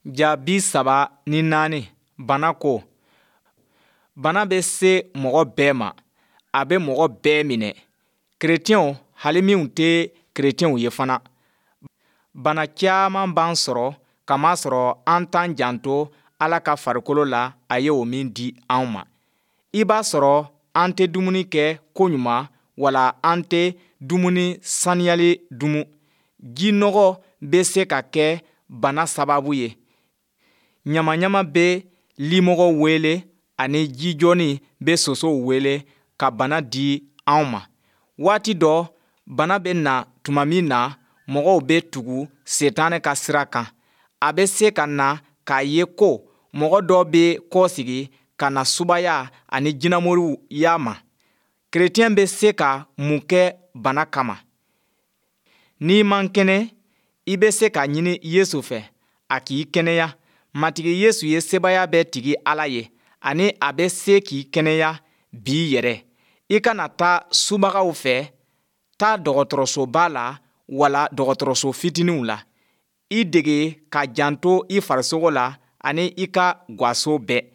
Ja 34, Bana ko. Bana bɛ se mɔgɔ bɛɛ ma. A bɛ mɔgɔ bɛɛ minɛ, kerecɛnw hali minw tɛ kerecɛnw ye fana. Bana caman b'an sɔrɔ kamasɔrɔ an t'an janto Ala ka farikolo la a ye o min di an ma. I b'a sɔrɔ an tɛ dumuni kɛ koɲuman wala an tɛ dumuni saniyalen dumu. Ji nɔgɔ bɛ se ka kɛ bana sababu ye. Ɲamaɲama bɛ limɔgɔ wele ani jijɔni bɛ sosow wele ka bana di an ma. Waati dɔ, bana bɛ na tuma min na, mɔgɔw bɛ tugu Sitanɛ ka sira kan. A bɛ se ka na k'a ye ko mɔgɔ dɔ bɛ kɔsegin ka na subaya ani jinɛmoriya ma. Kerecɛn bɛ se ka mun kɛ bana kama? N'i man kɛnɛ, i bɛ se k'a ɲini Yesu fɛ a k'i kɛnɛya. Matigi Yesu ye sebaaya bɛɛ tigi Ala ye ani a bɛ se k'i kɛnɛya bi yɛrɛ. I kana taa subagaw fɛ, taa dɔgɔtɔrɔsoba la wala dɔgɔtɔrɔso fitininw la. I dege ka janto i farisogo la ani i ka gwaso bɛɛ.